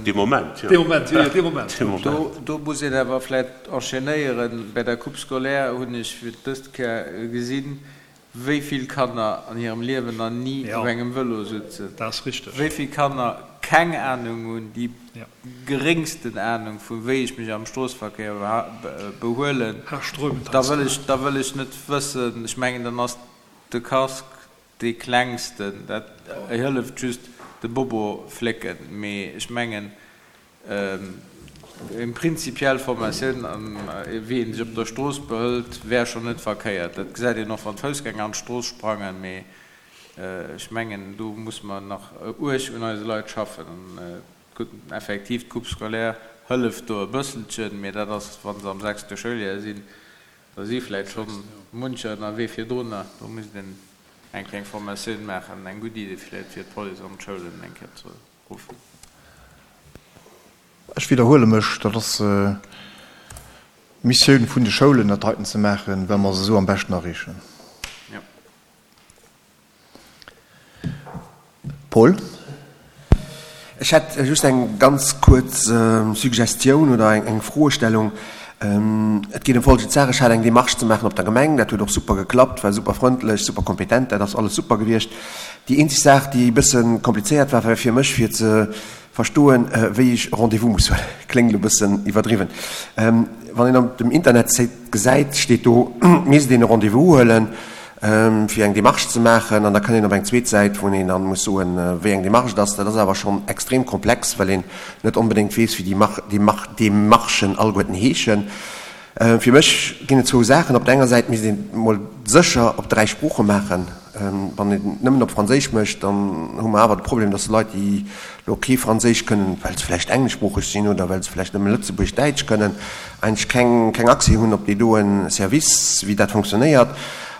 Dee Moment, jo. Dee Moment, jo, jo, dee Moment. Dee Moment. Do, do muss een awer vläicht enchaînéieren. Bei der Coupe scolaire hunn ech fir dëst Kéier gesinn, Wéi vill Kanner an hirem Liewen nach ni op engem Vëlo sutzen? Wéi vill Kanner keng Anung hunn, déi geréngsten Anung vu wéi ech mech am Stroossverkéier behuelen? Da wëll ech, da wëll ech net wëssen. Ech mengen, dann ass de Casque dee klengsten. Dat hëlleft just de Bobo flécken. Mee ech mengen, Eng prinzipiell Formatioun an wéi een sech op der Strooss behëlt, wär schonn net verkéiert. Dat gesäit een och wann d'Foussgänger an d'Strooss sprangen. Mee ech mengen, do musse mer nach uerg un eise Leit schaffen. An gutt, effektiv, d'Coupe scolaire hëlleft do e bësselchen, mee dat ass, wa se am sechste Schouljoer sinn. Da si vläicht schonn muncher ënnerwee virdrunner. Do misst een eng kleng Formatioun maachen. Eng gutt Idee vläicht, fir d'Police an d'Schoulen eng Kéier ze Ruffen. Ech widderhuele mech, dat ass d'Missioun vun de Schoulen, dat heiten ze maachen, well mer se esou am beschten erreechen. Paul. Ech hätt just eng ganz kuerz Suggestioun oder eng Froestellung. Et geet ëm folgend Saach, Ech hat eng Démarche ze maachen op der Gemeng, dat huet och super geklappt, war super frëndlech, super kompetent, dat ass alles super gewiescht. Déi eenzeg Saach, déi e bësse komplizéiert war, war fir mech fir ze verstoen, wéi ech e Rendez-vous muss huelen. Kléngt elo e bëssen iwwerdriwwen. Wann een op dem Internetsite gesäit, steet do, et misst een e Rendez-vous huelen, fir eng Démarche ze maachen, an da kënnt een op eng zweet Säit, wou een dann muss soen, wéi eng Démarche et ass. Dat ass awer schonn extrem komplex, well een net onbedéngt weess, wéi déi Démarchen alleguerten heeschen. Fir mech ginn et zwou Saachen. Op der enger Säit misst een et mol sécher op 3 Sprooche maachen. Wann een et nëmmen op Franséisch mécht, dann hu mer awer de Problem, dass Leit, déi elo kee Franséisch kënnen, well se vläicht engleschsproocheg sinn oder well se vläicht nëmme Lëtzebuergesch, Däitsch kënnen, eigentlech keng, keng Accès hunn op dee doen Service, wéi dat fonctionnéiert.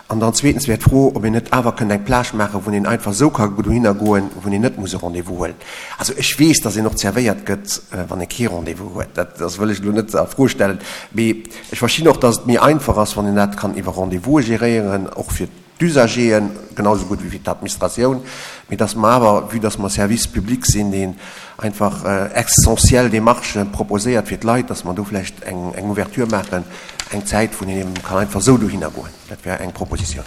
An dann zweetens wär d'Fro, ob een net awer kënnt eng Plage maachen, wou een einfach esou ka dohinner goen, wou een net muss e Rendez-vous huelen. Also ech weess, dass een och zerwéiert gëtt, wann ee kee Rendez-vous huet. Dat wëll ech elo net a Fro stellen. Mee ech verstinn och, dass et méi einfach ass, wann een dat kann iwwer Rendez-vouse geréieren, och fir. d'Usageren, genau esou gutt wéi fir d'Administratioun, mee dass mer awer, vue dass mer Service public sinn, deen einfach essentiell Démarchë proposéiert fir d'Leit, dass mer do vläicht eng Ouverture maachen, eng Zäit, wou een eben kann einfach esou dohinner goen. Dat wär eng Proposition.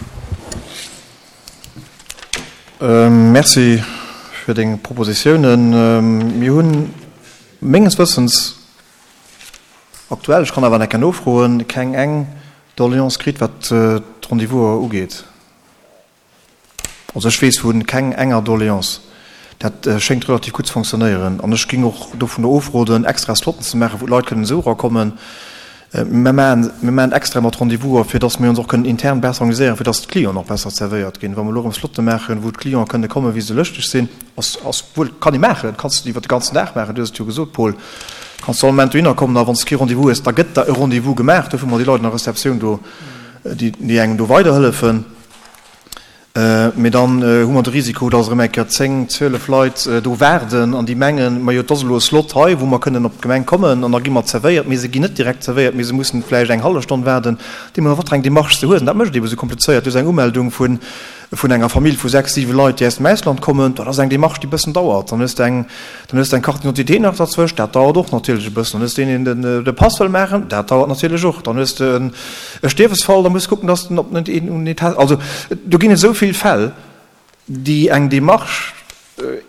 Merci fir deng Propositiounen. Mir hunn menges Wëssens aktuell, ech kann awer nach eng Kéier nofroen, keng eng Doléance kritt, wat d'Rendez-vouser ugeet. Also ech weess vu keng enger Doléance. Dat schéngt relativ gutt ze fonctionnéieren. An ech géing och dovun ofroden, extra Slotten ze maachen, wou d'Leit kënnen esou erakommen. Mir maachen, mir maachen extra mat Rendez-vouser, fir dass mir ons och kënnen intern besser organiséieren, fir dass d'Clienten och besser zerwéiert ginn. Wa mer elo erëm Slotte maachen, wou d'Clienten kënne kommen, wéi se lëschteg sinn, ass, ass wuel, kann ee maachen, kanns de iwwer de ganzen Dag maachen, du hues et jo gesot, Paul, kanns du all Moment dohinner kommen a wann s de kee Rendez-vous hues, da gëtt der e Rendez-vous gemaach. Dofir hu mer déi Leit an der Receptioun do, déi, déi engem do weiderhëllefen. Mee dann hu mer de Risiko, dass erëm eng Kéier 10, 12 Leit do waarden an déi mengen, majo, et ass elo e Slot hei, wou mer kënnen op d'Gemeng kommen an da gi mer zerwéiert. Mee se ginn net direkt zerwéiert, mee se mussen vläicht eng hallef Stonn waarden. Deemno wat fir eng Démarche se hues. An dat mécht et ebe sou komplizéiert. Du hues eng Umeldung vun vun enger Famill vu sechs, siwe Leit, déi aus dem Ausland kommen. Dat ass eng Démarche, déi e bëssen dauert. Dann hues de eng, dann hues de eng Carte d'identité nach derzwëscht, dat dauert och natierlech e bëssen. Dann hues de een, deen den de Pass wëll maachen, dat dauert natierlech och. Dann hues de en e Stierwesfall, da muss kucken, dass den op net een un Etat, also do ginn et esou vill Fäll, déi eng Démarche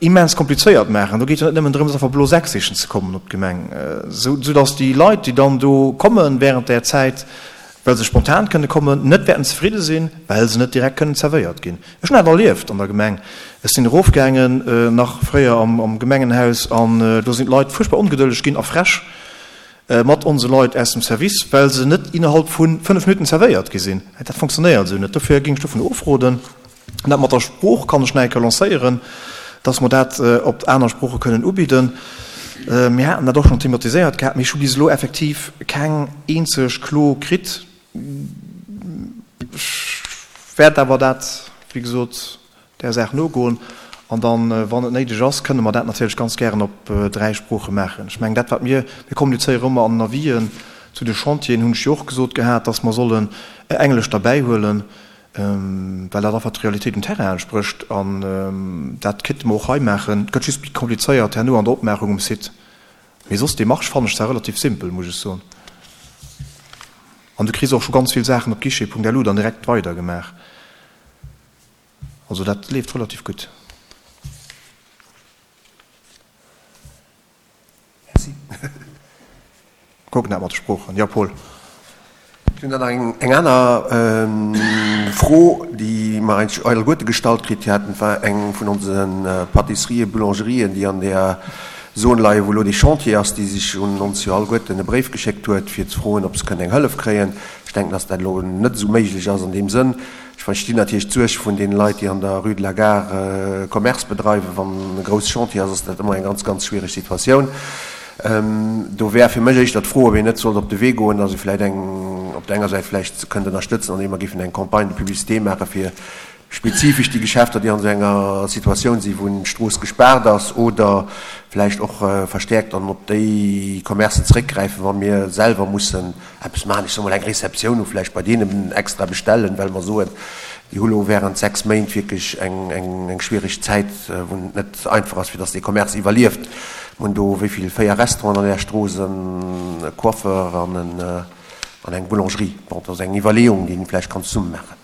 immens komplizéiert maachen. Do geet jo net nëmmen drëms, einfach blo Säck sichen ze kommen op d'Gemeng, esou dass déi Leit, déi dann do kommen während där Zäit, well se spontan kënne kommen, net wäerten zefridde sinn, well se net direkt kënnen zerwéiert ginn. Ech hunn dat erlieft an der Gemeng. Ech sinn erofgaangen, nach fréier am Gemengenhaus, an do sinn d'Leit fuerchtbar ongedëlleg ginn a frech mat onse Leit aus dem Service, well se net innerhalb vu 5 Minutten zerwéiert gi sinn. Dat fonctionnéiert esou net. Dofir géing ech dovun ofroden. An dat mat der Sprooch kann ech nach eng Kéier lancéieren, dass mer dat op aner Sprooche kënnen ubidden. Mir haten dat och schonn thematiséiert gehat, mee ech hu bis elo effektiv keng eenzeg Klo kritt. Ech wäert awer dat, wéi gesot, där Saach nogoen an dann, wann et néideg ass, kënne mer dat natierlech ganz gären op 3 Sprooche maachen. Ech mengen, dat wat mir, mir kommunizéiere ëmmer an den Avisen zu de Chantieren, hunn ech jo och gesot gehat, dass mer sollen Englesch derbäihuelen, well dat einfach d'Realitéit um Terrain entsprécht an dat kéinte mer och hei maachen. Et gëtt just méi komplizéiert herno an der Opmaachung um Site. Mee soss d'Demarche fannen ech zwar relativ simpel, muss ech soen. An du kriss och scho ganz vill Saachen op guichet.lu dann direkt weidergemaach. Also dat leeft relativ gutt. Merci. Kucken dat mat de Sproochen. Jo, Paul. Ech hunn dann nach eng aner Fro, déi mer eigentlech alleguerte gestallt kritt haten. Et war eng vun onse Pâtisserien, Boulangerien, déi an där Zon leien, wou elo dee Chantier ass, déi sech un ons jo alleguerten e Bréif geschéckt huet, fir ze froen, ob se kënnen eng Hëllef kréien. Ech denken, dass dat elo net esou méiglech ass an deem Sënn. Ech verstinn natierlech d'Suerg vun deene Leit, déi an der Rue de la Gare Commerce bedreiwen. Wann e grousse Chantier ass, ass dat ëmmer eng ganz, ganz schwiereg Situatioun. Do wär fir mech éischter d'Fro, ob een net sollt op de Wee goen, dass ee vläicht eng, op der enger Säit vläicht kënnt ënnerstëtzen, andeem mer géifen eng Campagne de publicité maache fir spezifesch déi Geschäfter, déi an esou enger Situatioun sinn, wou d'Strooss gespaart ass, oder vläicht och verstäerkt dann op déi Commercen zréckgräifen, wa mir selwer mussen eppes maachen, ech soe mol eng Receptioun hu vläicht bei deenen extra bestellen, well mer soen, déi hu lo während 6 Méint wierklech eng schwiereg Zäit, wou et net einfach ass, fir datt dee Commerce iwwerlieft. Mir hunn do wéi vill, 4 Restauranten an där Strooss, e Coiffeur an eng Boulangerie. Bon, dat ass eng Iwwerleeung, déi een vläicht kann zesumme maachen.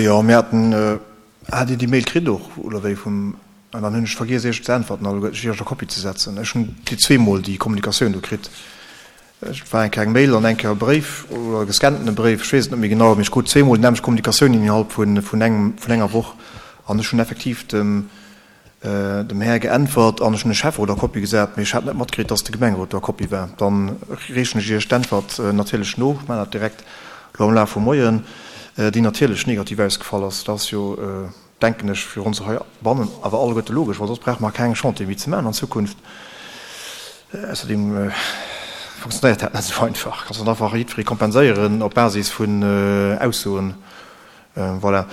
Jo, mir haten, hat Dir déi Mail kritt och, oder wéi vum, an dann hunn ech vergiess Iech ze äntwerten, also Iech a Kopie ze setzen. Ech hunn déi zweemol déi Kommunikatioun do kritt. Et war eng Kéier eng Mail an eng Kéier e Bréif oder e gescannene Bréif, ech weess et net méi genau, mee ech krut zweemol déi nämmlecht Kommunikatioun innerhalb vun engem, vun enger Woch an ech hunn effektiv dem, dem Här geäntwert an ech hunn de Schäfferot a Kopie gesat, mee ech hat net matkritt, dass de Gemengerot do a Kopie war. Dann reechen ech Iech d'Äntwert natierlech no, ech maachen dat direkt elo am Laf vum Moien, déi natierlech negativ ausgefall ass. Dat ass jo, denken ech, fir ons heibannen awer alleguerte logesch, well soss brauche mer keng Chantiere méi ze maachen an Zukunft. Ausserdeem funktionéiert dat net esou einfach. Kanns net einfach jiddweree kompenséieren op Basis vun Aussoen. Voilà.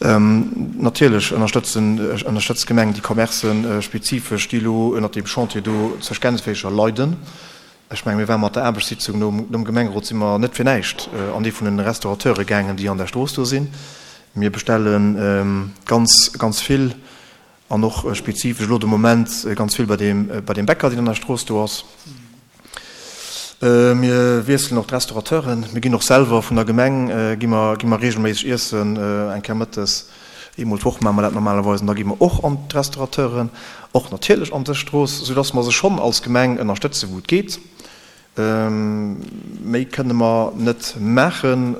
Natierlech ënnerstëtzen, ënnerstëtzt d'Gemeng déi Commercen spezifesch, déi elo ënnert deem Chantier do zur Gänzflächer leiden. Ech mengen, mir ware mat der Aarbechtssitzung nom, nom Gemengerot si mer net fir näischt an ee vun den Restaurateure gaangen, déi an der Strooss do sinn. Mir bestelle ganz, ganz vill an och spezifesch elo de Moment ganz vill bei deem, bei deem Bäcker, deen an der Strooss do ass. Mir wiesselen och d'Restaurateuren. Mir ginn och selwer vun der Gemeng gi mer, gi mer reegelméisseg iessen, eng Kéier mëttes, eemol d'Woch maache mer dat normalerweis. An da gi mer och an d'Restaurateuren, och natierlech an dës Strooss, soudass mer se schonn als Gemeng ënnerstëtzen, wou et geet. Méi kënne mer net maachen.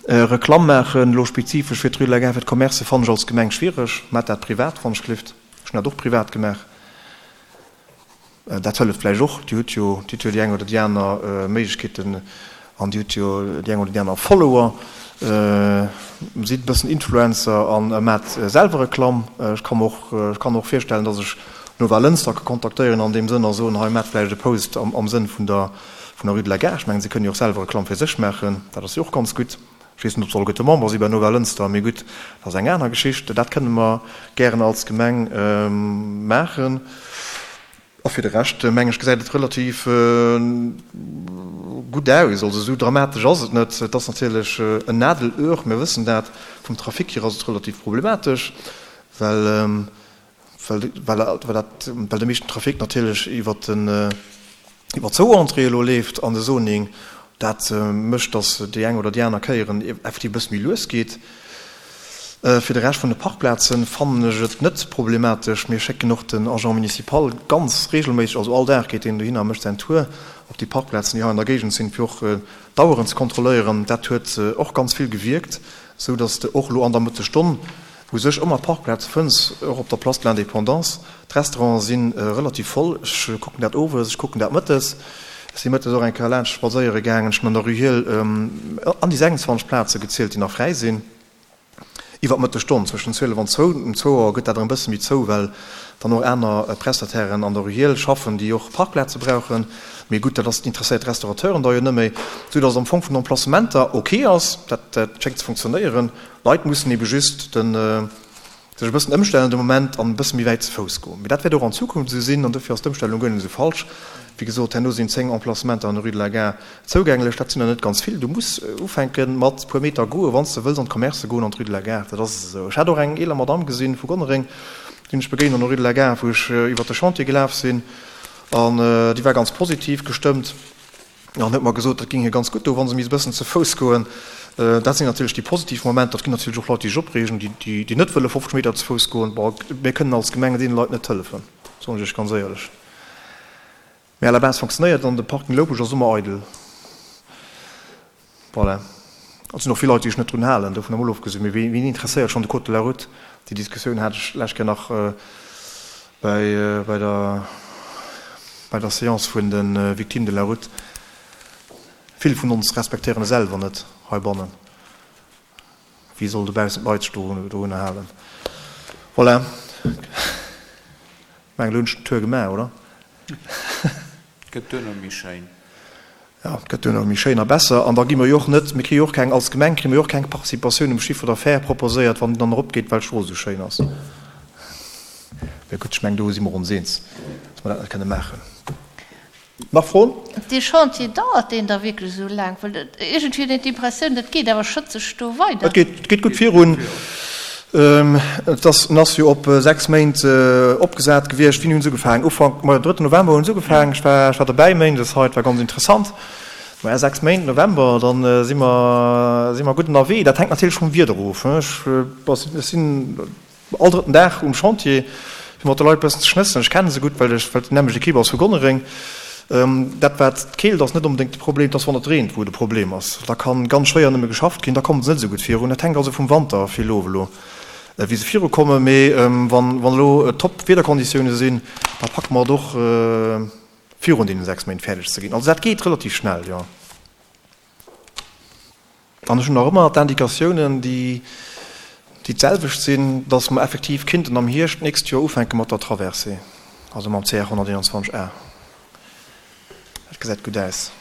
Reklamm maachen, elo spezifesch fir d'Rue de la Gare, fir d'Commercë fannen ech als Gemeng schwiereg. Maacht dat privat, wann ech gelift. Ech hunn dat och privat gemaach. Dat hëlleft vläicht och. Dir hutt jo, Dir hutt jo déi eng oder déi aner Méiglechkeeten an Dir hutt jo déi eng oder déi aner Follower. Sidd e bëssen Influencer a maacht selwer Reklamm. Ech ka mer och, ech kann mer och virstellen, datt ech Nova Lënster ka kontaktéieren an deem Sënn a soen, hei maacht vläicht e Post am, am Sënn vun der, vun der Rue de la Gare. Ech mengen, se kënnen jo och selwer Reklamm fir sech maachen. Dat ass jo och ganz gutt. Ech weess net, ob se alleguerte Member si bei Nova Lënster, mee gutt, dat ass eng aner Geschicht. Dat kënne mer gären als Gemeng maachen. A fir de Rescht, meng ech, gesäit et relativ gutt aus. Also esou dramatesch ass et net. Et ass natierlech en Nadelöhr, mir wëssen dat. Vum Trafic hier ass et relativ problematesch, well well dat, well de meeschten Trafic natierlech iwwert den, iwwer zwou Entréeë elo leeft an de Zoning. Dat mécht, datt déi eng oder déi aner Kéieren effektiv e bësse méi lues geet. Fir de Rescht vun de Parkplazen fannen ech et net problematesch. Mir schécken och den Agent municipal ganz regelméisseg, also all Dag geet deen dohinner a mécht säin Tour op déi Parkplazen, déi hei an der Géigend sinn, fir och d'Aueren ze kontrolléieren. Dat huet och ganz vill gewierkt, esou datt de och elo an der Mëttesstonn U sech ëmmer Parkplaze fënns, och op der Place de l'Indépendance. D'Restauranten si relativ voll. Ech kucken dat owes, ech kucken dat mëttes. Ech si mëttes och eng Kéier laanscht spadséiere gaangen. Ech hunn an der Rue Hiel an déi 26 Plaze gezielt, déi nach fräi sinn. Iwwer d'Mëttesstonn, zwëschen 12 an zwou. Um zwou Auer gëtt dat erëm e bësse méi zou, well dann och aner Prestatairen an der Rue Hiel schaffen, déi och Parkplaze brauchen. Mee gutt, dat ass, interesséiert d'Restaurateuren da jo net méi. Esou datt et am Fong vun den Emplacementer ok ass. Dat schéngt ze funktionéieren. D'Leit mussen ebe just den, sech e bëssen ëmstellen de Moment an e bësse méi wäit ze Fouss goen. Mee dat wäert och an Zukunft esou sinn an dofir ass d'Ëmstellung guer net esou falsch. Wéi gesot, herno sinn 10 Emplacementer an der Rue de la Gare zougänglech. Dat sinn der net ganz vill. Du muss ufänke mat puer Meter goen, wann s de wëlls an d'Commercë goen an d'Rue de la Gare. Dat ass esou. Ech hat och eng eeler Madamm gesinn vu Gonnereng, déi hunn ech begéint an der Rue de la Gare, wou ech iwwert de Chantier gelaf sinn an déi war ganz positiv gestëmmt. An huet mer gesot, dat géing hir ganz gutt doen, wa se misst e bëssen ze Fouss goen. Dat sinn natierlech déi positiv Momenter. Et ginn natierlech och Leit, déi sech opreegen, déi net wëlle 50 Meter ze Fouss goen. Bon, mir kënnen als Gemeng deene Leit net hëllefen, soen ech Iech ganz éierlech. Mee à la base fonctionnéiert et an de Parking Loupech ass ëmmer eidel. Voilà. Et sinn och vill Leit, déi sech net drun halen, dovun emol ofgesinn. Mee wien interesséiert schonn de Code de la route? Déi Diskussioun hat ech d'lescht Kéier nach bei, bei der, bei der Séance vun de Victimes de la route. Vill vun ons respektéieren e selwer net heibannen. Wéi soll dobaussen d'Leit sech dorunner halen? Voilà. Ech mengen, elo hunn ech den Tour gemaach, oder? Gëtt duerno méi schéin. Jo, et gëtt duerno méi schéin a besser. An da gi mer jo och net, mir kréie jo och keng, als Gemeng kréie mer jo och keng Participatioun um Chiffre d'affaires proposéiert, wann en dann eropgeet, well d'Strooss esou schéin ass. Mä gutt, ech mengen, do si mer ons eens, dass mer dat net kënne maachen. Nach Froen? Dee Chantier, dauert deen da wierklech esou laang? Well iergendwéi huet een d'Impressioun, dat geet awer schëtzeg do weider. Et geet, et geet gutt virun. Et ass, en ass jo op 6 Méint opgesat gewiescht. Wéini hunn se ugefaangen? Ufank, ma drëtten November hunn se ugefaangen. Ech war, ech war dobäi méindes hei, et war ganz interessant. Maja, 6 Méint, November, dann si mer, si mer gutt ënnerwee. Dat hänkt natierlech vum Wieder of. Ech, ech sinn all drëtten Dag um Chantier, fir mat de Leit e bëssen ze schnëssen. Ech kenne se gutt, well ech, well et déi nämmlecht Ekipp ass vu Gonnereng. Dat wat d'Keelt ass net onbedéngt de Problem, et ass wann et reent, wou de Problem ass. Da kann ganz schwéier nëmme geschafft ginn, da kommen se net esou gutt virun. Dat hänkt also vum Wanter vill of elo, wéi se virukommen. Mee wann elo top Wiederkonditioune sinn, da packe mer et och virun deene 6 Méint fäerdeg ze ginn. Also dat geet relativ schnell, jo. An ech hunn nach ëmmer d'Indikatiounen, déi déi d'selwecht sinn, dass mer effektiv kinnten am Hierscht d'nächst Joer ufänke mat der Traversée, also mam CR 121 A. Dat gesäit gutt aus.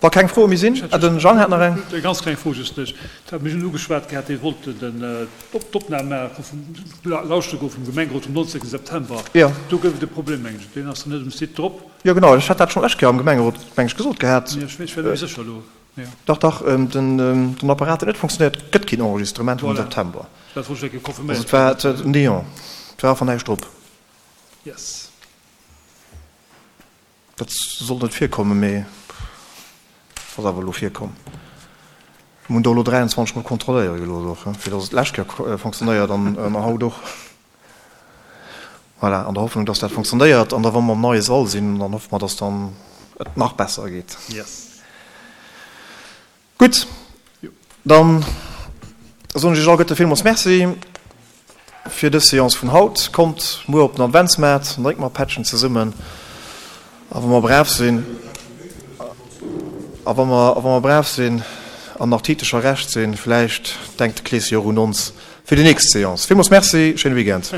Wa keng Froe méi sinn, ah, den Jang hat nach eng. Eng ganz kleng Fro just, Ech hat mech ugeschwat gehat, Dir wollt d'Opnam maache vum Lauschteren goe vum Gemengerot vum 19 September. Jo. Do gouf et e Problem, mengen ech. Deen ass dann net um Site drop. Jo, genau. Ech hat dat schonn d'lescht Kéier am Gemengerot, meng ech, gesot gehat. Jo, ech war net méi sécher elo. Jo. Dach, dach, den Apparat huet net funktionéiert. Et gëtt keen Enregistrement vum September. Voilà. Dat wollt ech eng Kéier confirméiert Also et war néant. Et war einfach näischt drop. Yes. Dat sollt net virkommen, mee ass awer elo virkomm. Mir hunn do elo 23 mol kontrolléiere gelooss och, fir datt et d'lescht Kéier fonctionnéiert an haut och. Voilà, an der Hoffnung, datt dat fonctionnéiert. An da wa mer am neie Sall sinn, dann hoffe mer, datt dann et nach besser geet. Yes. Gutt, dann soen ech Iech alleguerte villmools Merci fir dës Seance vun haut. Kommt muer op den Adventsmaart, dann drénke mer e Pättchen zesummen. A wa mer brav sinn, a wa mer, a wa mer brav sinn an nach Titecher recht sinn, vläicht denkt de Kleeschen jo och un ons fir déi nächst Seance. Villmools Merci, schéine Weekend.